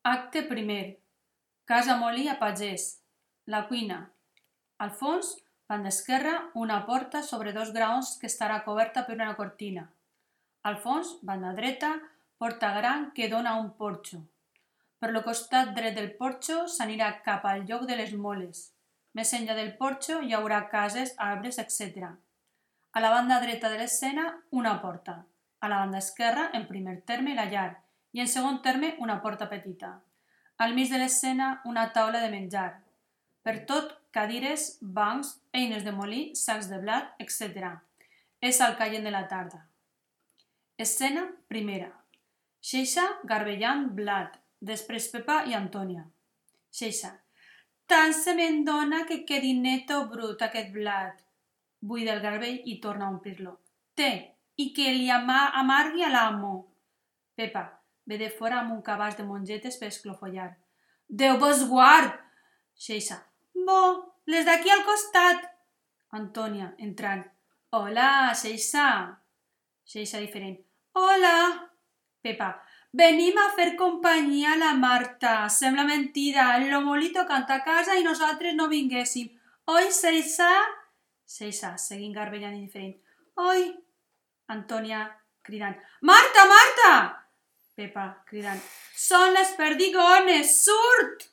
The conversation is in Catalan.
Acte primer. Casa molí a pagès. La cuina. Al fons, banda esquerra, una porta sobre dos graons que estarà coberta per una cortina. Al fons, banda dreta, porta gran que dona a un porxo. Per lo costat dret del porxo s'anirà cap al lloc de les moles. Més enllà del porxo hi haurà cases, arbres, etc. A la banda dreta de l'escena, una porta. A la banda esquerra, en primer terme, la llar i en segon terme, una porta petita. Al mig de l'escena, una taula de menjar. Per tot, cadires, bancs, eines de molí, sacs de blat, etc. És al caient de la tarda. Escena primera. Xeixa garbellant blat, després Pepa i Antònia. Xeixa. Tant se me'n dona que quedi net o brut aquest blat. Buida el garbell i torna a omplir-lo. Té, i que li amargui a l'amo. Pepa ve de fora amb un cabàs de mongetes per esclofollar. Déu vos guard! Xeixa. Bo, les d'aquí al costat. Antònia, entrant. Hola, Xeixa. Xeixa diferent. Hola. Pepa. Venim a fer companyia a la Marta. Sembla mentida. El Lomolito canta a casa i nosaltres no vinguéssim. Oi, Xeixa? Xeixa, seguint garbellant indiferent. Oi. Antònia, cridant. Marta, Marta! Pepa, cridant. Són les perdigones, surt!